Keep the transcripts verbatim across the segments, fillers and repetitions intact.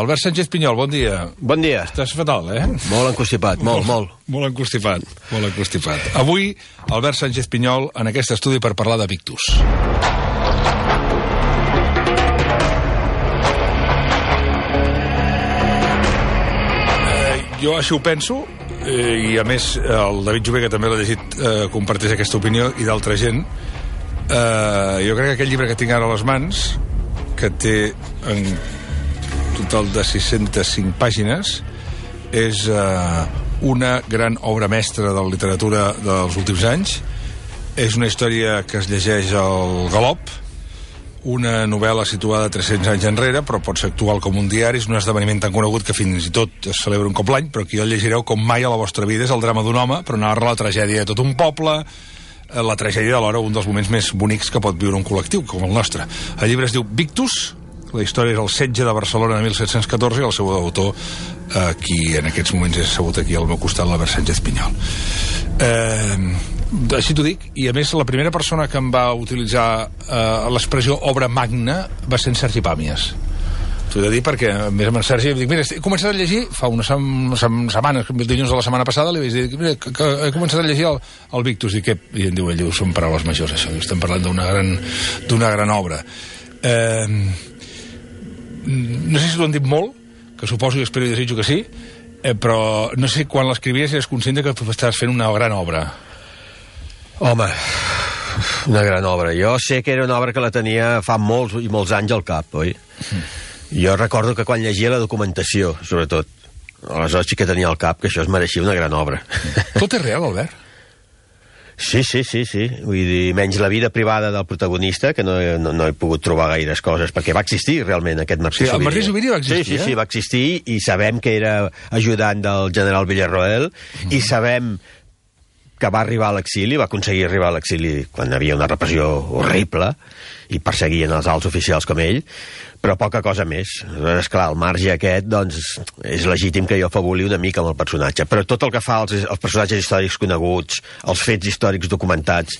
Albert Sánchez Pinyol, bon dia. Bon dia. Estàs fatal, eh? Molt encostipat, molt, molt. Molt encostipat, molt encostipat. Avui, Albert Sánchez Pinyol en aquest estudi per parlar de Victus. Eh, jo així ho penso, eh, i a més el David Jové, que també l'ha llegit, eh, comparteix aquesta opinió, i d'altra gent. Eh, jo crec que aquest llibre que tinc ara a les mans, que té en total de sis-centes cinc pàgines, és eh, una gran obra mestra de la literatura dels últims anys. És una història que es llegeix al galop, una novel·la situada tres-cents anys enrere, però pot ser actual com un diari. És un esdeveniment tan conegut que fins i tot es celebra un cop l'any, però aquí el llegireu com mai a la vostra vida. És el drama d'un home, però narra la tragèdia de tot un poble, la tragèdia alhora un dels moments més bonics que pot viure un col·lectiu com el nostre. El llibre es diu Victus. La història és el setge de Barcelona de mil set-cents catorze i el seu autor, eh, qui en aquests moments és assegut aquí al meu costat, l'Albert Sánchez Pinyol. Eh, així t'ho dic, i a més la primera persona que em va utilitzar eh, l'expressió obra magna va ser en Sergi Pàmies. T'ho he de dir perquè, a més amb en Sergi, em dic, mira, he començat a llegir, fa una sem setmana, el dilluns de la setmana passada, li vaig dir, mira, que, que he començat a llegir el, el Victus, i, què? I em diu, ell diu, són paraules majors, això, estem parlant d'una gran, d'una gran obra. Eh... No sé si t'ho han dit molt, que suposo i espero i desitjo que sí, eh, però no sé quan l'escrivies eres conscient que tu estaves fent una gran obra. Home, una gran obra. Jo sé que era una obra que la tenia fa molts i molts anys al cap, oi? Mm. Jo recordo que quan llegia la documentació, sobretot, aleshores sí que tenia al cap que això es mereixia una gran obra. Tot és real, Albert? Sí, sí, sí, sí. Vull dir, menys la vida privada del protagonista, que no, no, no he pogut trobar gaires coses, perquè va existir realment aquest Martí Subiri. Sí, el Martí Subiri va existir, sí, sí, eh? Sí, va existir, i sabem que era ajudant del general Villarroel, mm. i sabem que va arribar a l'exili, va aconseguir arribar a l'exili quan hi havia una repressió horrible, i perseguien els alts oficials com ell, però poca cosa més. Esclar, el marge aquest, doncs, és legítim que jo afabuli una mica amb el personatge, però tot el que fa als, als personatges històrics coneguts, els fets històrics documentats,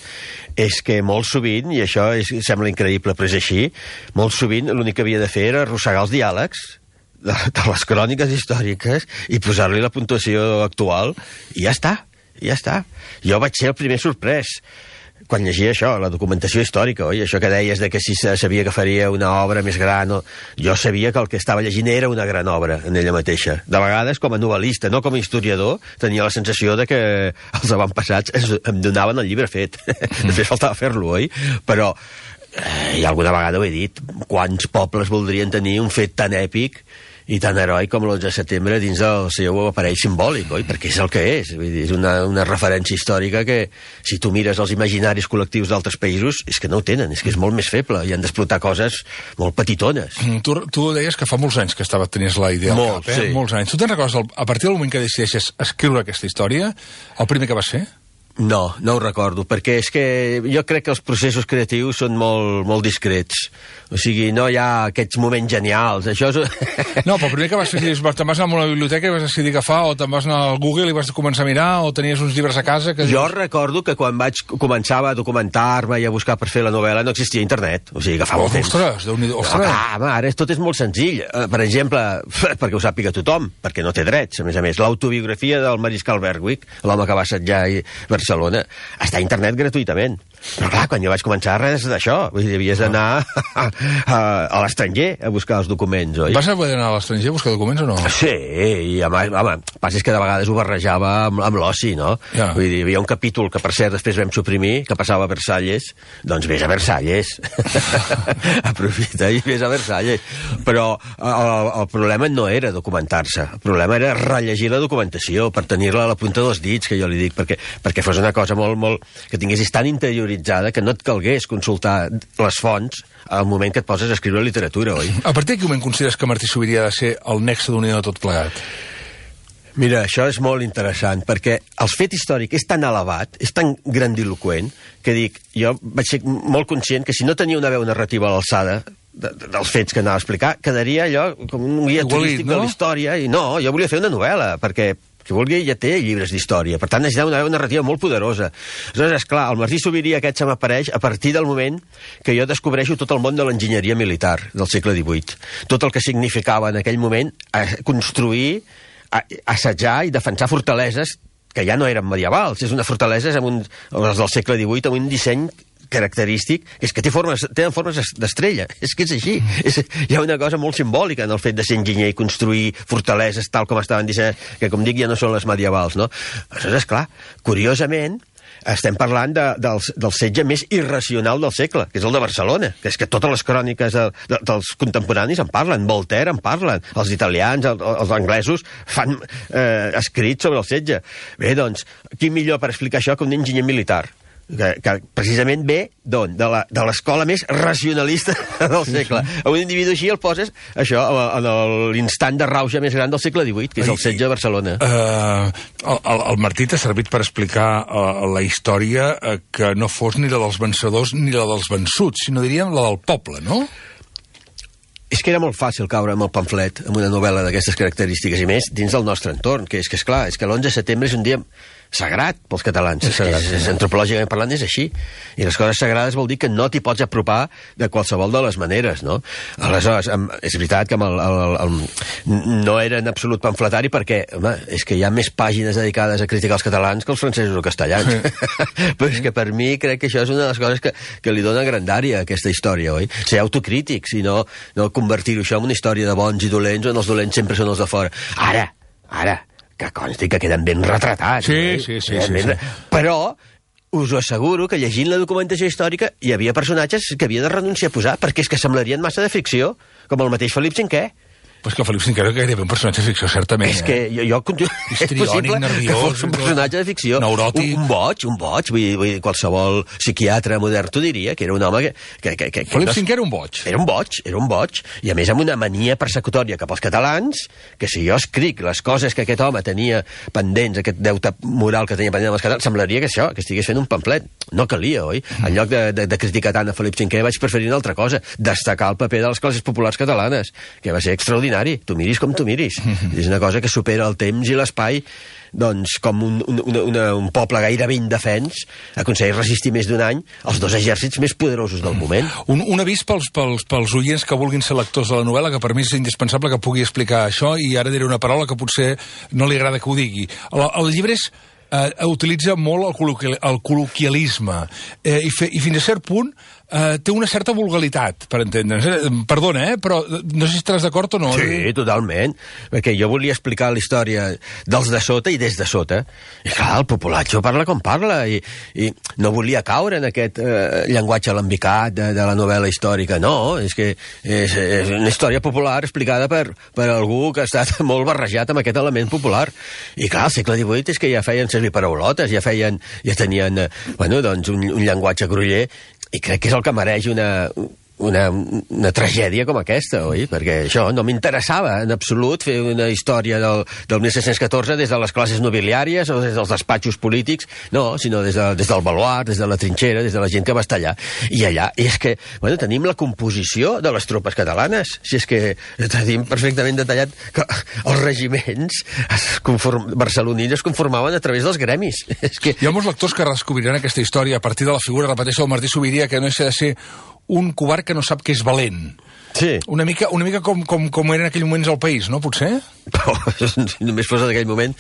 és que molt sovint, i això és, sembla increïble, però és així, molt sovint l'únic que havia de fer era arrossegar els diàlegs de, de les cròniques històriques i posar-li la puntuació actual, i ja està, ja està. Jo vaig ser el primer sorprès quan llegia això, la documentació històrica, oi? Això que deies de que si sabia que faria una obra més gran, o... jo sabia que el que estava llegint era una gran obra en ella mateixa. De vegades, com a novel·lista, no com a historiador, tenia la sensació de que els avantpassats em donaven el llibre fet. Després faltava fer-lo, oi? Però, eh, i alguna vegada ho he dit, quants pobles voldrien tenir un fet tan èpic i tan heroi com l'onze de setembre dins del seu aparell simbòlic, oi? Perquè és el que és. Vull dir, és una, una referència històrica que, si tu mires els imaginaris col·lectius d'altres països, és que no ho tenen, és que és molt més feble, i han d'explotar coses molt petitones. Mm, tu, tu deies que fa molts anys que estava, tenies la idea al Molt, cap, eh? Sí. Molts anys. Tu te'n recordes, a partir del moment que decideixes escriure aquesta història, el primer que vas fer? No, no ho recordo, perquè és que jo crec que els processos creatius són molt, molt discrets. O sigui, no hi ha aquests moments genials. Això és... No, però el primer que vas fer, te'n vas anar a una biblioteca i vas decidir agafar, o te'n vas anar al Google i vas començar a mirar, o tenies uns llibres a casa... Que... Jo recordo que quan vaig començar a documentar-me i a buscar per fer la novel·la no existia internet. O sigui, agafava oh, el temps. Ostres, Déu-n'hi-do, ostres. No, clar, ara tot és molt senzill. Per exemple, perquè ho sàpiga tothom, perquè no té drets, a més a més, l'autobiografia del mariscal Berwick, l'home que va assetjar a Barcelona, està a internet gratuïtament. Però clar, quan jo vaig començar, res d'això. Vull dir, havies d'anar a, a, a l'estranger a buscar els documents, oi? Vas haver d'anar a l'estranger a buscar documents o no? Sí, i a més, home, el pas és que de vegades ho barrejava amb, amb l'oci, no? Ja. Vull dir, hi havia un capítol que per cert després vam suprimir, que passava a Versalles, doncs vés a Versalles. Aprofita i vés a Versalles. Però el, el problema no era documentar-se, el problema era rellegir la documentació per tenir-la a la punta dels dits, que jo li dic, perquè, perquè fos una cosa molt, molt... que tinguessis tan interior que no et calgués consultar les fonts al moment que et poses a escriure literatura, oi? A partir de quin moment consideres que Martí Subiri ha de ser el nexe d'unió de tot plegat? Mira, això és molt interessant, perquè el fet històric és tan elevat, és tan grandiloquent, que dic, jo vaig ser molt conscient que si no tenia una veu narrativa a l'alçada de, de, dels fets que anava a explicar, quedaria allò com un guia Igualit, turístic no? de la història, i no, jo volia fer una novel·la, perquè qui vulgui ja té llibres d'història, per tant necessita una narrativa molt poderosa. Aleshores, esclar, el Martí Subiri aquest se m'apareix a partir del moment que jo descobreixo tot el món de l'enginyeria militar del segle divuit, tot el que significava en aquell moment construir, assetjar i defensar fortaleses que ja no eren medievals, és una fortalesa amb un, les del segle divuit, amb un disseny característic, és que té formes, tenen formes d'estrella, és que és així. És, hi ha una cosa molt simbòlica en el fet de ser enginyer i construir fortaleses tal com estaven dissenyades, que com dic ja no són les medievals, no? Aleshores, clar, curiosament, estem parlant de, del, del setge més irracional del segle, que és el de Barcelona, que és que totes les cròniques de, de, dels contemporanis en parlen, Voltaire en parlen, els italians, el, els anglesos fan eh, escrits sobre el setge. Bé, doncs, qui millor per explicar això que un enginyer militar? Que, que precisament ve d'on? De la, de l'escola més racionalista del segle. A un individu així el poses, això, en l'instant de rauxa més gran del segle divuit, que és el setge de Barcelona. Uh, el, el Martí t'ha servit per explicar uh, la història uh, que no fos ni la dels vencedors ni la dels vençuts, sinó diríem la del poble, no? És que era molt fàcil caure amb el pamflet, amb una novel·la d'aquestes característiques, i més dins del nostre entorn, que és que, esclar, és que l'onze de setembre és un dia sagrat pels catalans. És sagrat, és, és, antropològicament parlant és així. I les coses sagrades vol dir que no t'hi pots apropar de qualsevol de les maneres, no? Aleshores, amb, és veritat que amb el, el, el, no era en absolut pamfletari perquè, home, és que hi ha més pàgines dedicades a criticar els catalans que els francesos o castellans. Sí. Però és que per mi crec que això és una de les coses que, que li dona grandària a aquesta història, oi? Ser autocrítics i no, no convertir-ho això en una història de bons i dolents on els dolents sempre són els de fora. Ara, ara, que consti que queden ben retratats. Sí, eh? sí, sí, sí, ben... sí. Però us ho asseguro que llegint la documentació històrica hi havia personatges que havia de renunciar a posar perquè és que semblarien massa de ficció, com el mateix Felip cinquè. Pues que el Felip cinquè era gairebé un personatge de ficció, certament. És que jo, jo és possible nerviós, que fos un personatge de ficció. Neuròtic. Un, un boig, un boig. Vull dir, vull dir, qualsevol psiquiatre modern t'ho diria, que era un home que... que, que, que Felip no... cinquè era un boig. Era un boig, era un boig. I a més amb una mania persecutòria cap als catalans, que si jo escric les coses que aquest home tenia pendents, aquest deute moral que tenia pendent amb els catalans, semblaria que això, que estigués fent un pamflet. No calia, oi? En lloc de, de, de criticar tant a Felip cinquè vaig preferir una altra cosa, destacar el paper de les classes populars catalanes, que va ser extraordinari. Tu miris com tu miris. És una cosa que supera el temps i l'espai, doncs, com un, un, una, un poble gairebé indefens aconsegueix resistir més d'un any els dos exèrcits més poderosos del moment. Un, un avís pels, pels, pels oients que vulguin ser lectors de la novel·la, que per mi és indispensable que pugui explicar això, i ara diré una paraula que potser no li agrada que ho digui. El, el llibre és, eh, utilitza molt el, col·loquial, el col·loquialisme, eh, i, fe, i fins a cert punt Uh, té una certa vulgaritat, per entendre'ns. Eh? Perdona, eh? Però no sé si estàs d'acord o no. Sí, totalment. Perquè jo volia explicar la història dels de sota i des de sota. I clar, el populatxo parla com parla. I, i no volia caure en aquest eh, llenguatge alambicat de, de la novel·la històrica. No, és que és, és una història popular explicada per, per algú que ha estat molt barrejat amb aquest element popular. I clar, al segle divuit és que ja feien servir paraulotes, ja feien, ja tenien, eh, bueno, doncs un, un llenguatge groller. I crec que és el que mereix una, una, una tragèdia com aquesta, oi? Perquè això no m'interessava en absolut fer una història del, del mil set-cents catorze des de les classes nobiliàries o des dels despatxos polítics, no, sinó des, de, des del baluart, des de la trinxera, des de la gent que va estar allà. I allà, i és que, bueno, tenim la composició de les tropes catalanes, si és que tenim perfectament detallat que els regiments es conform, barcelonins es conformaven a través dels gremis. És que... Hi ha molts lectors que descobriran aquesta història a partir de la figura, repeteixo, del Martí Subiri, que no és de ser un covard que no sap que és valent. Sí. Una mica, una mica com, com, com era en aquell moments el país, no, potser? Però, si només fos en aquell moment...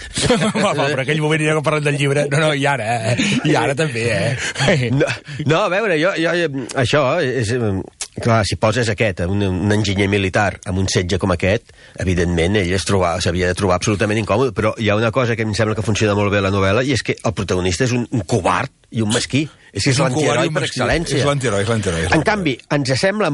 Va, va, però aquell moment ja que parlem del llibre... No, no, i ara, eh? I ara també, eh? No, no a veure, jo, jo, això és... Clar, si poses aquest, un, un enginyer militar amb un setge com aquest, evidentment ell s'havia de trobar absolutament incòmode, però hi ha una cosa que em sembla que funciona molt bé a la novel·la, i és que el protagonista és un, un covard i un mesquí. És que és, és l'antiheroi per excel·lència. És l'antiheroi, és l'antiheroi. En canvi, ens sembla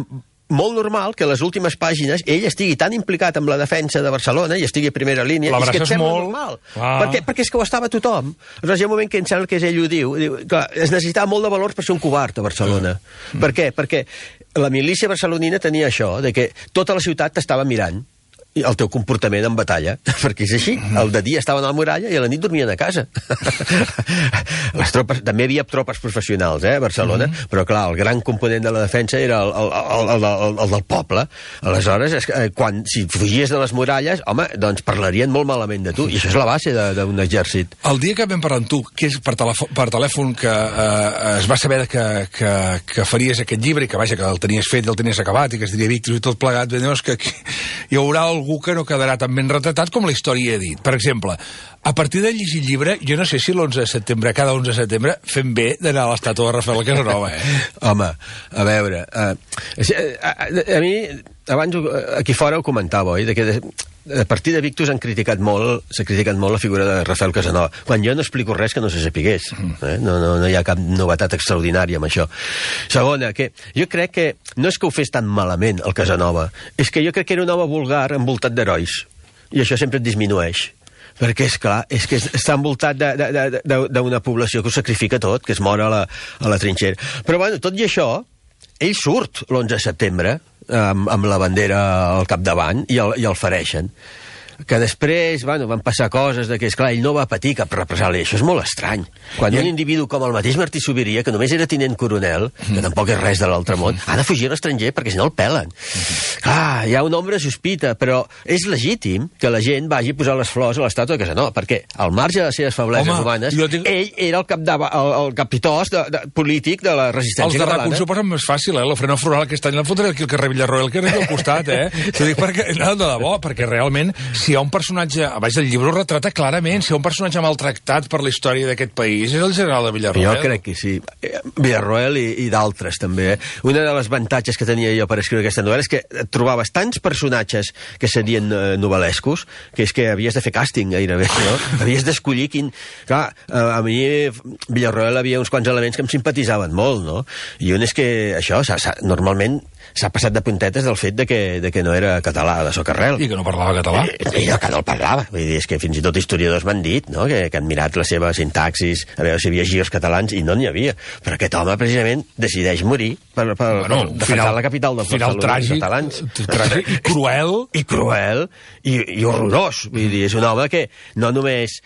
molt normal que a les últimes pàgines ell estigui tan implicat amb la defensa de Barcelona i estigui a primera línia, i és que et sembla molt normal. Ah. Perquè, perquè és que ho estava tothom. Aleshores, hi ha un moment que em sembla que és ell ho diu. diu clar, es necessitava molt de valors per ser un covard a Barcelona. Mm. Per què? Perquè la milícia barcelonina tenia això, de que tota la ciutat t'estava mirant. el teu comportament en batalla, perquè és així. El de dia estaven a la muralla i a la nit dormien a casa. Les tropes, també hi havia tropes professionals, eh, a Barcelona, mm-hmm. però clar, el gran component de la defensa era el, el, el, el, el, el del poble. Aleshores, quan, si fugies de les muralles, home, doncs parlarien molt malament de tu, i això és la base d'un exèrcit. El dia que vam parlar amb tu, que és per, telèfon, per telèfon que eh, es va saber que, que, que faries aquest llibre i que, vaja, que el tenies fet i el tenies acabat i que es diria Victus i tot plegat, doncs que hi haurà algú que no quedarà tan ben retratat com la història ha dit. Per exemple, a partir de llegir el llibre, jo no sé si l'onze de setembre, cada onze de setembre, fem bé d'anar a l'estàtua de Rafael Casanova, eh? Home, a veure... Uh, a, a, a mi, abans aquí fora ho comentava, oi? De que de, a partir de Victus han criticat molt, s'ha criticat molt la figura de Rafael Casanova, quan jo no explico res que no se sapigués. Eh? No, no, no hi ha cap novetat extraordinària amb això. Segona, que jo crec que no és que ho fes tan malament el Casanova, és que jo crec que era un home vulgar envoltat d'herois, i això sempre et disminueix. Perquè, és clar, és que està envoltat d'una població que ho sacrifica tot, que es mor a la, a la trinxera. Però, bueno, tot i això, ell surt l'onze de setembre amb, amb la bandera al capdavant i el, i el fereixen. Que després, bueno, van passar coses de que, esclar, ell no va patir cap represàlia. Això és molt estrany. Quan I un individu com el mateix Martí Subiria, que només era tinent coronel, que tampoc és res de l'altre món, ha de fugir a l'estranger perquè si no el pelen. Clar, hi ha una ombra sospita, però és legítim que la gent vagi a posar les flors a l'estàtua de Casanova, perquè al marge de les seves febleses Home, humanes, tinc... ell era el, capdava, el, el capitós de, de, polític de la resistència catalana. Els de RAC un s'ho posen més fàcil, eh? L'Ofrena Floral aquest any l'han fotut aquí al carrer Villarroel, que era aquí al costat, eh? T'ho dic perquè, no, de debò, perquè realment si hi ha un personatge, a baix del llibre ho retrata clarament, si hi ha un personatge maltractat per la història d'aquest país és el general de Villarroel. Jo crec que sí. Villarroel i, i d'altres també. Una de les avantatges que tenia jo per escriure aquesta novel·la és que trobaves tants personatges que serien eh, novel·lescos, que és que havies de fer càsting gairebé, no? Havies d'escollir quin... Clar, a mi Villarroel havia uns quants elements que em simpatitzaven molt, no? I un és que això, s ha, s ha, normalment s'ha passat de puntetes del fet de que, de que no era català de socarrel. I que no parlava català. I, i que no el parlava. Vull dir, és que fins i tot historiadors m'han dit, no?, que, que han mirat la seva sintaxis, a veure si hi havia girs catalans, i no n'hi havia. Però aquest home, precisament, decideix morir per, per, bueno, per defensar final, la capital dels tràgic, catalans. Tràgic i cruel. I cruel, i, i horrorós. Vull dir, és un home que no només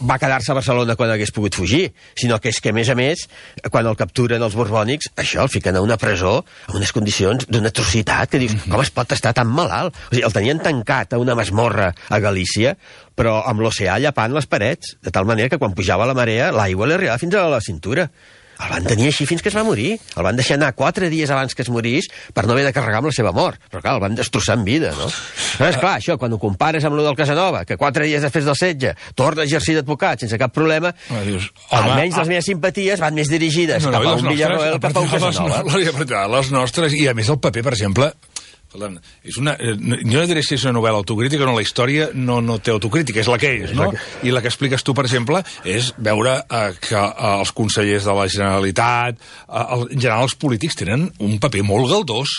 va quedar-se a Barcelona quan hagués pogut fugir, sinó que és que, a més a més, quan el capturen els borbònics, això el fiquen a una presó amb unes condicions d'una atrocitat, que dius, com es pot estar tan malalt? O sigui, el tenien tancat a una masmorra a Galícia, però amb l'oceà llapant les parets, de tal manera que quan pujava la marea, l'aigua li arribava fins a la cintura. El van tenir així fins que es va morir. El van deixar anar quatre dies abans que es morís per no haver de carregar amb la seva mort. Però clar, el van destrossar en vida, no? Però és clar, això, quan ho compares amb lo del Casanova, que quatre dies després del setge torna a exercir d'advocat sense cap problema, ah, dius, home, almenys les meves simpaties van més dirigides no, no, cap a un Villarroel que cap a un Casanova. Les nostres, i a més el paper, per exemple... És una, jo no diré si és una novel·la autocrítica, no, la història no, no té autocrítica, és la que és, no? I la que expliques tu, per exemple, és veure eh, que eh, els consellers de la Generalitat, eh, el, en general els polítics, tenen un paper molt galdós.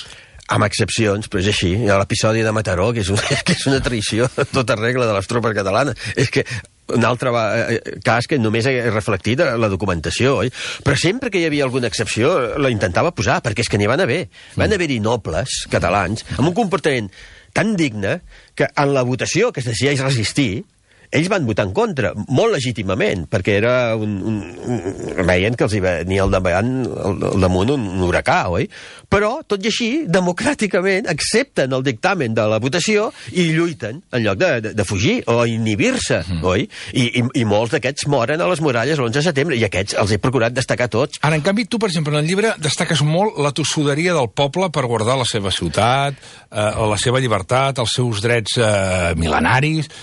Amb excepcions, però és així. Hi ha l'episodi de Mataró, que és, un, que és una traïció en tota regla de les tropes catalanes. És que un altre va, eh, cas que només he reflectit la documentació, oi? Però sempre que hi havia alguna excepció la intentava posar, perquè és que n'hi van haver. Van haver-hi nobles catalans amb un comportament tan digne que en la votació que es decideix resistir, ells van votar en contra, molt legítimament, perquè era un, un, un veien que els hi venia al davant, al, al damunt un, un huracà, oi? Però, tot i així, democràticament accepten el dictamen de la votació i lluiten en lloc de, de, de fugir o inhibir-se, mm. oi? I, i, i molts d'aquests moren a les muralles l'onze de setembre, i aquests els he procurat destacar tots. Ara, en canvi, tu, per exemple, en el llibre destaques molt la tossuderia del poble per guardar la seva ciutat, eh, la seva llibertat, els seus drets eh, mil·lenaris.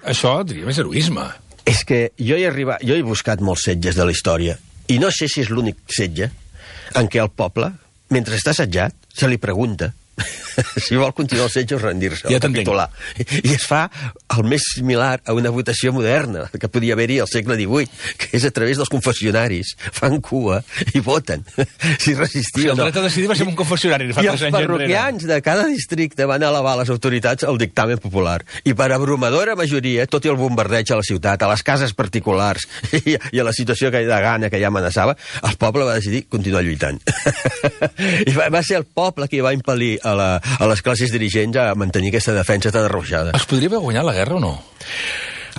Això, diria, és heroisme. És que jo he arribat, jo he buscat molts setges de la història, i no sé si és l'únic setge en què el poble, mentre està assetjat, se li pregunta si vol continuar el setge o rendir-se, ja o capitular. I es fa el més similar a una votació moderna que podia haver-hi al segle divuit, que és a través dels confessionaris. Fan cua i voten si resistir o no. El dret a decidir va ser un confessionari. I els parroquians de cada districte van elevar a les autoritats el dictamen popular. I per abrumadora majoria, tot i el bombardeig a la ciutat, a les cases particulars i, i a la situació que de gana que ja amenaçava, el poble va decidir continuar lluitant. I va, va ser el poble qui va impel·lir a la, a les classes dirigents a mantenir aquesta defensa tan arrauxada. Es podria haver guanyat la guerra o no?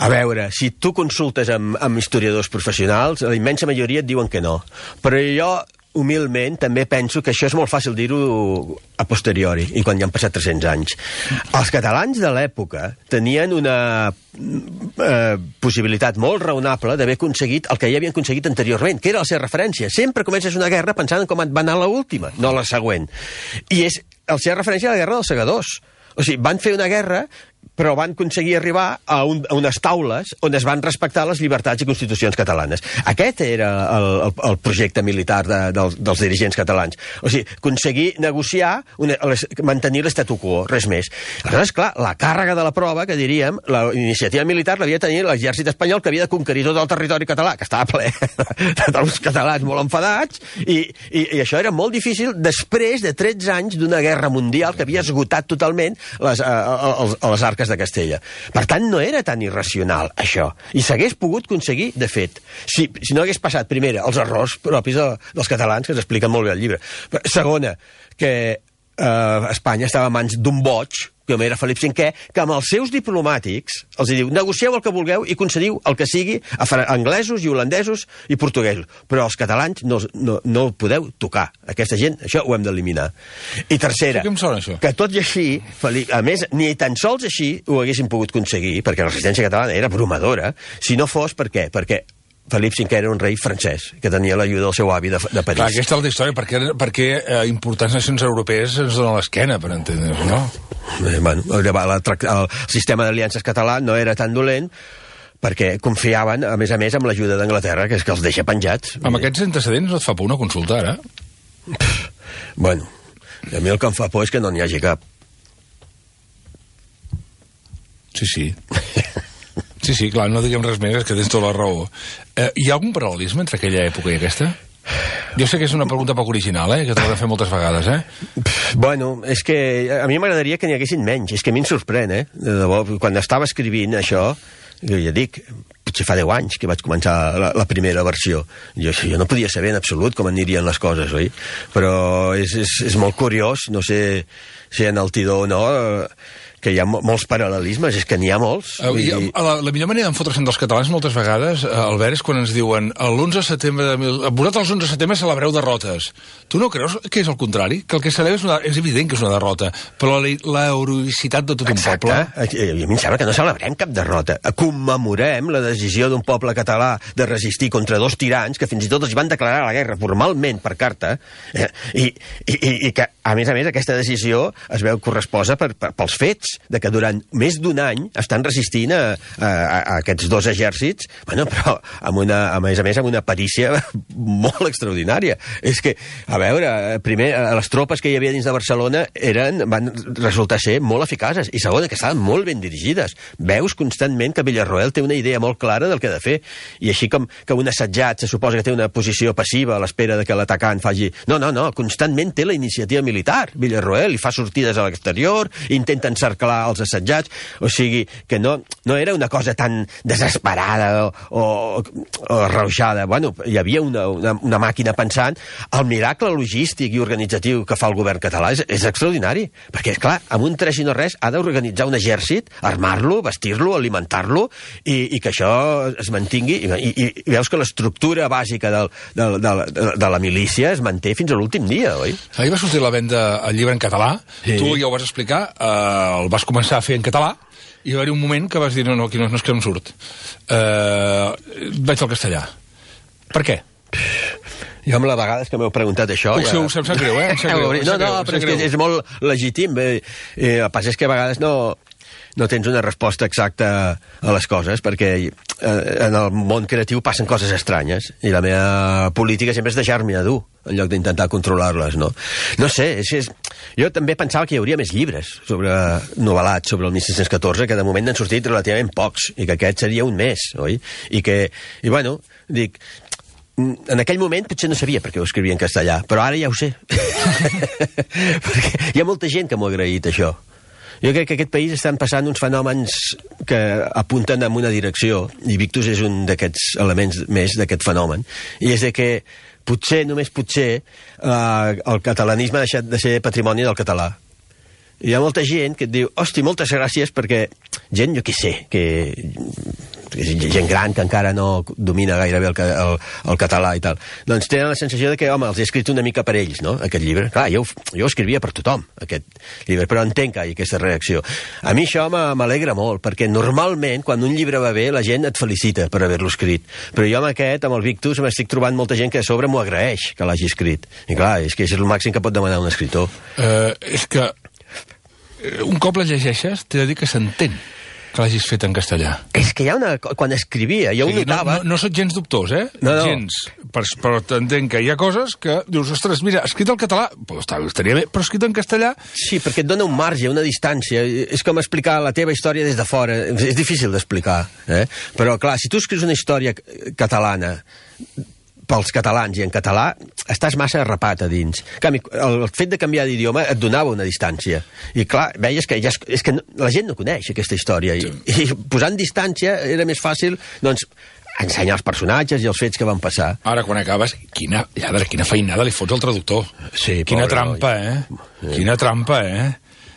A veure, si tu consultes amb, amb historiadors professionals, la immensa majoria et diuen que no. Però jo, humilment, també penso que això és molt fàcil dir-ho a posteriori, i quan ja han passat tres-cents anys. Els catalans de l'època tenien una eh, possibilitat molt raonable d'haver aconseguit el que ja havien aconseguit anteriorment, que era la seva referència. Sempre comences una guerra pensant en com et va anar l'última, no la següent. I és la seva referència a la guerra dels segadors. O sigui, van fer una guerra, però van aconseguir arribar a, un, a unes taules on es van respectar les llibertats i constitucions catalanes. Aquest era el, el, el projecte militar de, del, dels dirigents catalans. O sigui, aconseguir negociar, una, les, mantenir l'estatu quo, res més. Aleshores, clar, la càrrega de la prova, que diríem, la iniciativa militar l'havia de tenir l'exèrcit espanyol, que havia de conquerir tot el territori català, que estava ple dels catalans molt enfadats, i, i, i això era molt difícil després de tretze anys d'una guerra mundial que havia esgotat totalment les, a, a, a, a les arques de Castella. Per tant, no era tan irracional, això. I s'hagués pogut aconseguir, de fet, si, si no hagués passat, primera, els errors propis de, dels catalans, que s'expliquen molt bé al llibre. Segona, que eh, Espanya estava a mans d'un boig, com era Felip cinquè, que amb els seus diplomàtics els diu, negocieu el que vulgueu i concediu el que sigui a anglesos i holandesos i portuguesos. Però els catalans no, no, no ho podeu tocar. Aquesta gent, això ho hem d'eliminar. I tercera, sí, que, sona, això? que tot i així, Felip, a més, ni tan sols així ho haguessin pogut aconseguir, perquè la resistència catalana era abrumadora, si no fos per què? Perquè Felip cinquè era un rei francès, que tenia l'ajuda del seu avi de, de París. Clar, aquesta és la història, perquè, perquè eh, importants nacions europees ens donen l'esquena, per entendre-ho, no? Eh, bueno, el, el, el sistema d'aliances català no era tan dolent, perquè confiaven, a més a més, amb l'ajuda d'Anglaterra, que és que els deixa penjats. Amb aquests antecedents no et fa por una consulta, ara? Bueno, a mi el que em fa por és que no n'hi hagi cap. Sí, sí. Sí, sí, clar, no diguem res més, és que tens tota la raó. Eh, hi ha algun paral·lelisme entre aquella època i aquesta? Jo sé que és una pregunta poc original, eh, que t'ho he de fer moltes vegades, eh? Bueno, és que a mi m'agradaria que n'hi haguessin menys. És que a mi em sorprèn, eh? De debò, quan estava escrivint això, jo ja dic, potser fa deu anys que vaig començar la, la primera versió. Jo, jo no podia saber en absolut com anirien les coses, oi? Però és, és, és molt curiós, no sé si en el Tidó o no, que hi ha molts paral·lelismes, és que n'hi ha molts. Uh, i, la, la millor manera d'enfotre-se'n dels catalans moltes vegades, Albert, és quan ens diuen l'onze de setembre de mil... vosaltres l'onze de setembre celebreu derrotes. Tu no creus que és el contrari? Que el que celebra és, una... és evident que és una derrota, però la, la heroïcitat de tot Exacte. un poble... A mi em sembla que no celebrem cap derrota. Commemorem la decisió d'un poble català de resistir contra dos tirans que fins i tot els van declarar la guerra formalment per carta, eh? I, i, i que, a més a més, aquesta decisió es veu corresposa per, per, pels fets de que durant més d'un any estan resistint a, a, a aquests dos exèrcits, bueno, però amb una, a més a més amb una perícia molt extraordinària. És que, a veure, primer, les tropes que hi havia dins de Barcelona eren, van resultar ser molt eficaces, i segona, que estaven molt ben dirigides. Veus constantment que Villarroel té una idea molt clara del que ha de fer, i així com que un assetjat se suposa que té una posició passiva a l'espera de que l'atacant faci... No, no, no, constantment té la iniciativa militar, Villarroel, i fa sortides a l'exterior, intenta encerclar els assetjats, o sigui que no, no era una cosa tan desesperada o, o, o arrauxada. Bueno, hi havia una, una, una màquina pensant. El miracle logístic i organitzatiu que fa el govern català és, és extraordinari, perquè, esclar, amb un tres i no res ha d'organitzar un exèrcit, armar-lo, vestir-lo, alimentar-lo, i, i que això es mantingui, i, i, i veus que l'estructura bàsica del, del, del, de, de la milícia es manté fins a l'últim dia, oi? Ahir va sortir a la venda el llibre en català, sí. Tu ja ho vas explicar, eh, el vas començar a fer en català, i va haver un moment que vas dir, no, no, aquí no, no és que no em surt. Uh, vaig al castellà. Per què? Jo amb les vegades que m'heu preguntat això... Puc ser, ja... em sap greu, eh? Em sap greu, no, no, però és que és molt legítim. Eh, eh, el pas és que a vegades no... no tens una resposta exacta a les coses, perquè eh, en el món creatiu passen coses estranyes, i la meva política sempre és deixar-me a dur, en lloc d'intentar controlar-les, no? No sé, és, és... jo també pensava que hi hauria més llibres sobre novel·lats sobre el mil sis-cents catorze, que de moment n'han sortit relativament pocs, i que aquest seria un més, oi? I que, i bueno, dic... en aquell moment potser no sabia per què ho escrivia en castellà, però ara ja ho sé. Perquè hi ha molta gent que m'ho ha agraït, això. Jo crec que aquest país estan passant uns fenòmens que apunten en una direcció, i Victus és un d'aquests elements més d'aquest fenomen, i és de que potser, només potser, eh, el catalanisme ha deixat de ser patrimoni del català. hi ha molta gent que et diu, hosti, moltes gràcies, perquè gent, jo què sé, que gent gran que encara no domina gairebé el, el, el català i tal, doncs tenen la sensació de que, home, els he escrit una mica per ells, no?, aquest llibre. Clar, jo, jo escrivia per tothom, aquest llibre, però entenc que hi ha aquesta reacció. A mi això m'alegra molt, perquè normalment, quan un llibre va bé, la gent et felicita per haver-lo escrit. Però jo amb aquest, amb el Victus, m'estic trobant molta gent que a sobre m'ho agraeix, que l'hagi escrit. I clar, és que és el màxim que pot demanar un escriptor. Uh, és que un cop la llegeixes, t'he de dir que s'entén que l'hagis fet en castellà. És que hi ha una... Quan escrivia, jo o sigui, ho notava... No, no, no soc gens dubtós, eh? No, no. Gens. Però, però t'entenc que hi ha coses que dius, ostres, mira, escrit en català, pues, estaria bé, però escrit en castellà... Sí, perquè et dona un marge, una distància. És com explicar la teva història des de fora. És difícil d'explicar, eh? Però, clar, si tu escrius una història catalana pels catalans i en català, estàs massa arrapat a dins. En canvi, el fet de canviar d'idioma et donava una distància. I clar, veies que, ja, és que no, la gent no coneix aquesta història. I, i posant distància era més fàcil, doncs, ensenyar els personatges i els fets que van passar. Ara, quan acabes, quina, lladre, quina feinada li fots al traductor. Sí, quina pobre, trampa, eh? Sí. Quina trampa, eh?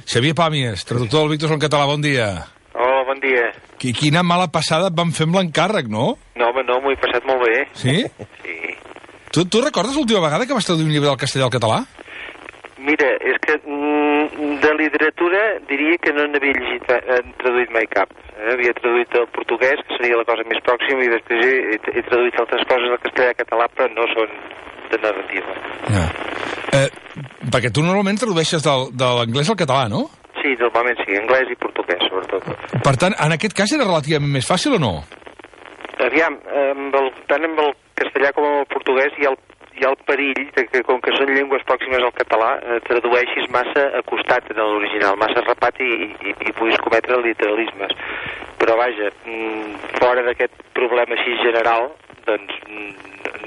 Xavier Pàmies, traductor del Victus en català, bon dia. Hola, bon dia. Quina mala passada et van fer amb l'encàrrec, no? No, home, no, m'ho he passat molt bé. Sí? Sí. Tu, tu recordes l'última vegada que vas traduir un llibre del castellà al català? Mira, és que mm, de literatura diria que no n'havia llegit, eh, traduït mai cap. Eh? Havia traduït el portuguès, que seria la cosa més pròxima, i després he, he traduït altres coses del castellà a català, però no són de narrativa. Ja. Eh, perquè tu normalment tradueixes del, de l'anglès al català, no? Sí, normalment sí, anglès i portuguès, sobretot. Per tant, en aquest cas era relativament més fàcil o no? Aviam, amb el, tant amb el castellà com amb el portuguès hi ha el, hi ha el perill de que, com que són llengües pròximes al català, eh, tradueixis massa acostat en l'original, massa rapat i, i, i puguis cometre literalismes. Però vaja, fora d'aquest problema així general, doncs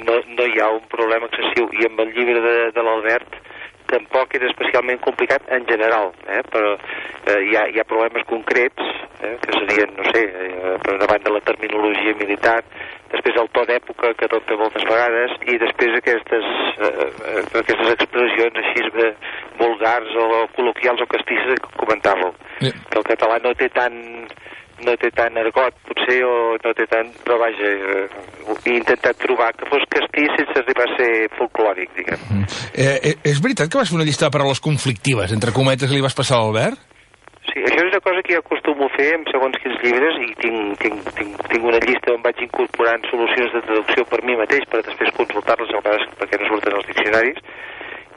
no, no hi ha un problema excessiu. I amb el llibre de, de l'Albert tampoc era especialment complicat en general, eh? Però eh, hi, ha, hi ha problemes concrets, eh? Que serien, no sé, eh, per una banda la terminologia militar, després el to d'època que adopta moltes vegades, i després aquestes, eh, aquestes expressions així eh, vulgars o col·loquials o castisses que comentàveu, sí. Que el català no té tant... no té tant argot, potser, o no té tant... Però vaja, eh, he intentat trobar que fos castís sense arribar a ser folclòric, diguem. Mm. Eh, és veritat que vas fer una llista de paraules conflictives, entre cometes, que li vas passar a l'Albert? Sí, això és una cosa que jo acostumo a fer en segons quins llibres, i tinc, tinc, tinc, tinc una llista on vaig incorporant solucions de traducció per mi mateix, per després consultar-les a vegades perquè no surten els diccionaris.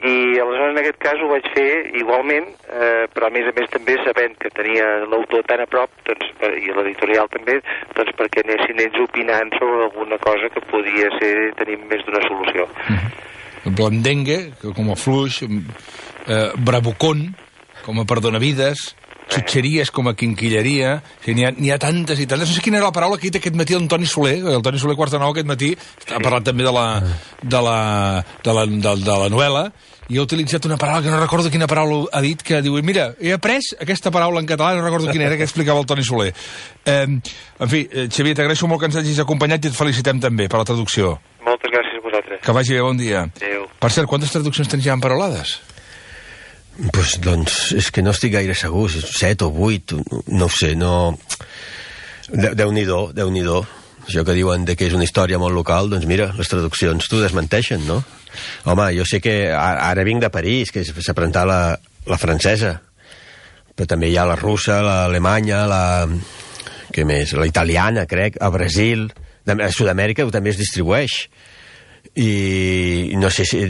I aleshores en aquest cas ho vaig fer igualment, eh, però a més a més també sabent que tenia l'autor tan a prop, doncs, i l'editorial també, doncs perquè anessin ells opinant sobre alguna cosa que podia ser tenir més d'una solució. Mm-hmm. Blandengue, com a fluix, eh, bravucón, com a perdonavides, xutxeries com a quinquilleria, o sigui, n'hi ha, n'hi ha tantes i tantes. No sé quina era la paraula que ha dit aquest matí el Toni Soler, el Toni Soler Quarta Nou aquest matí, ha parlat també de la, de la, de la, de, de la novel·la, i ha utilitzat una paraula que no recordo quina paraula ha dit, que diu, mira, he après aquesta paraula en català, no recordo quina era, que explicava el Toni Soler. Eh, en fi, Xavier, t'agraeixo molt que ens hagis acompanyat i et felicitem també per la traducció. Moltes gràcies a vosaltres. Que vagi bé, bon dia. Adéu. Per cert, quantes traduccions tens ja emparolades? Pues, doncs, és que no estic gaire segur, set o vuit, no ho sé, no... De, Déu-n'hi-do, Déu-n'hi-do. Això que diuen de que és una història molt local, doncs mira, les traduccions t'ho desmenteixen, no? Home, jo sé que ara vinc de París, que s'ha presentat la, la francesa, però també hi ha la russa, l'alemanya, la... què més? La italiana, crec, a Brasil, a Sud-amèrica també es distribueix. I no sé si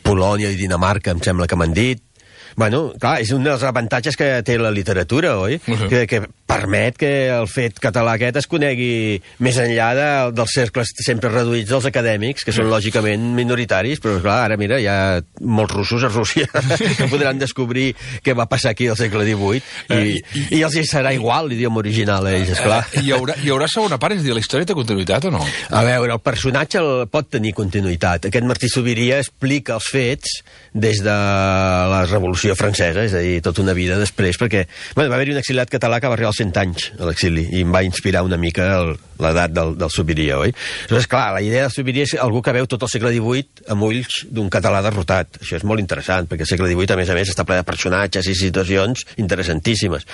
Polònia i Dinamarca em sembla que m'han dit. Bueno, clar, és un dels avantatges que té la literatura, oi? Uh-huh. que, que permet que el fet català aquest es conegui més enllà de, dels cercles sempre reduïts dels acadèmics, que són uh-huh. lògicament minoritaris, però clar, ara mira, hi ha molts russos a Rússia que podran descobrir què va passar aquí al segle divuit, i, uh, i, i els hi serà igual l'idioma original a ells, esclar. Uh, hi, haurà, hi haurà segona part, és a dir, la història té continuïtat o no? A veure, el personatge el pot tenir continuïtat. Aquest Martí Sobiria explica els fets des de la revolució Revolució Francesa, és a dir, tota una vida després, perquè bueno, va haver-hi un exiliat català que va arribar als cent anys a l'exili, i em va inspirar una mica el, l'edat del, del Subirià, oi? Aleshores, clar, la idea del Subirià és algú que veu tot el segle divuit amb ulls d'un català derrotat. Això és molt interessant, perquè el segle divuit, a més a més, està ple de personatges i situacions interessantíssimes.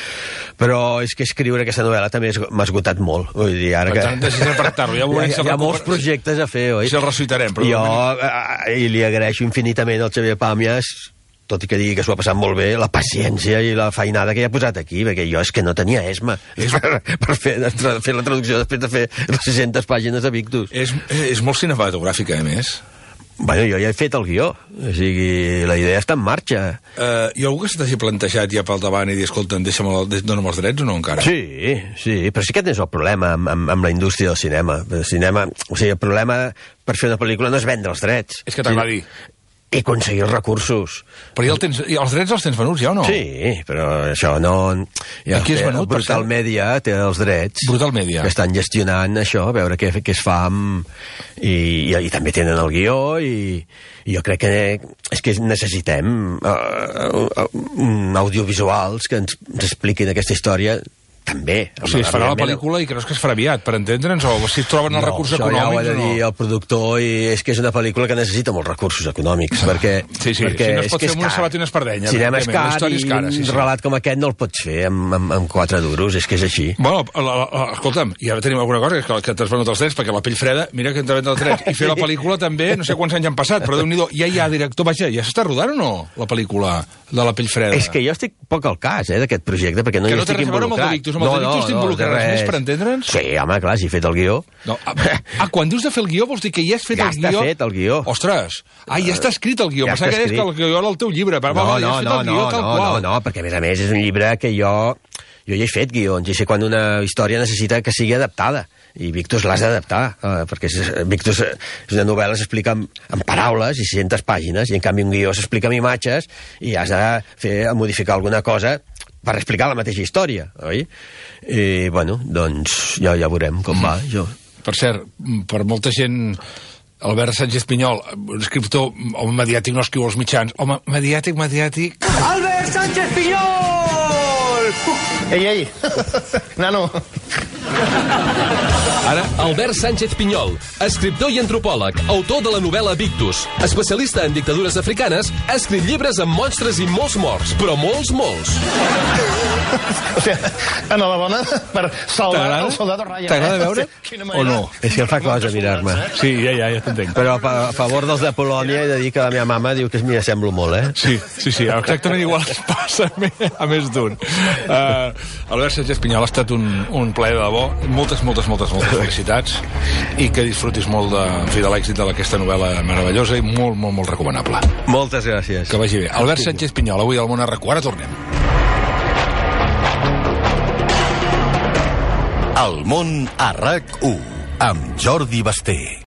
Però és que escriure aquesta novel·la també m'ha esgotat molt. Vull dir, ara que... Per ja hi ha, hi ha molts projectes a fer, oi? Si el ressuitarem. Però jo, eh, i li agraeixo infinitament al Xavier Pàmies, tot i que digui que s'ho ha passat molt bé, la paciència i la feinada que hi ha posat aquí, perquè jo és que no tenia esma és... per, per fer, fer la traducció després de fer les sis-centes pàgines de Victus. És, és molt cinematogràfica, a més. Bueno, jo ja he fet el guió, o sigui, la idea està en marxa. Uh, hi ha algú que se t'hagi plantejat ja pel davant i dir, escolta, deixa'm el, dona'm els drets o no encara? Sí, sí, però sí que aquest és el problema amb, amb, amb la indústria del cinema. El cinema, o sigui, el problema per fer una pel·lícula no és vendre els drets. És que t'agradi. I aconseguir els recursos. Però ja el tens, els drets els tens venuts ja o no? Sí, però això no... Ja, qui és venut? Brutal Media té els drets. Brutal Media. Que estan gestionant això, a veure què, què es fa amb... I, i, i també tenen el guió i, i jo crec que és que necessitem uh, uh, audiovisuals que ens, ens expliquin aquesta història també. O sigui, es farà la pel·lícula i creus que es farà aviat, per entendre'ns, o si es troben els no, recursos econòmics econòmics o no? Ja ho ha de dir el productor, i és que és una pel·lícula que necessita molts recursos econòmics, perquè... Sí, sí, perquè si no es pot fer amb una sabata i una espardenya. Cinema és car i cara, sí, sí. un relat com aquest no el pots fer amb, amb, amb quatre duros, és que és així. Bueno, la, la, escolta'm, i ara tenim alguna cosa, que, que t'has venut els drets, perquè La pell freda, mira que t'ha venut els drets, i fer la pel·lícula també, no sé quants anys han passat, però Déu-n'hi-do, ja hi ha director, vaja, ja s'està rodant o no, la pel·lícula de La pell freda? És que jo estic poc al cas, eh, d'aquest projecte, perquè no hi estic involucrat. Que no té res a veure amb el de Victus, amb el de Victus t'involucraràs més, per entendre'ns? Sí, home, clar, si he fet el guió. No, ah, quan dius de fer el guió, vols dir que ja has fet ja el guió? Ja està fet el guió. Ostres, ah, ja està escrit el guió. Ja Pensava que deies que el guió era el teu llibre. No, no, no, ja has fet no, el guió, no, tal no, qual. no, no, perquè a més a més és un llibre que jo... Jo ja he fet guions, i sé quan una història necessita que sigui adaptada. I Victus l'has d'adaptar, eh, perquè és, Victus és una novel·la, s'explica en, en paraules i sis-centes pàgines, i en canvi un guió s'explica amb imatges i has de fer, modificar alguna cosa per explicar la mateixa història, oi? I, bueno, doncs ja, ja veurem com va, jo. Per cert, per molta gent... Albert Sánchez Pinyol, escriptor, home mediàtic, no escriu als mitjans. Home, mediàtic, mediàtic... Albert Sánchez Pinyol! Ei, ei, nano... Ara, Albert Sánchez Pinyol, escriptor i antropòleg, autor de la novel·la Victus, especialista en dictadures africanes, ha escrit llibres amb monstres i molts morts, però molts, molts. O sigui, en la bona per salvar el soldado Ryan. T'agrada veure o no? És que em fa cosa mirar-me. Sí, ja, ja, ja t'entenc. Però a, a favor dels de Polònia he de dir que la meva mama diu que m'hi assemblo molt, eh? Sí, sí, sí, exactament igual es passa a més d'un. Uh, Albert Sánchez Pinyol, ha estat un, un plaer de debò. Moltes, moltes, moltes, moltes felicitats i que disfrutis molt de, en fi, de l'èxit d'aquesta novel·la meravellosa i molt, molt, molt recomanable. Moltes gràcies. Que vagi bé. Albert Sánchez Pinyol, avui al Món R Q. Ara tornem. El Món a R A C u amb Jordi Basté.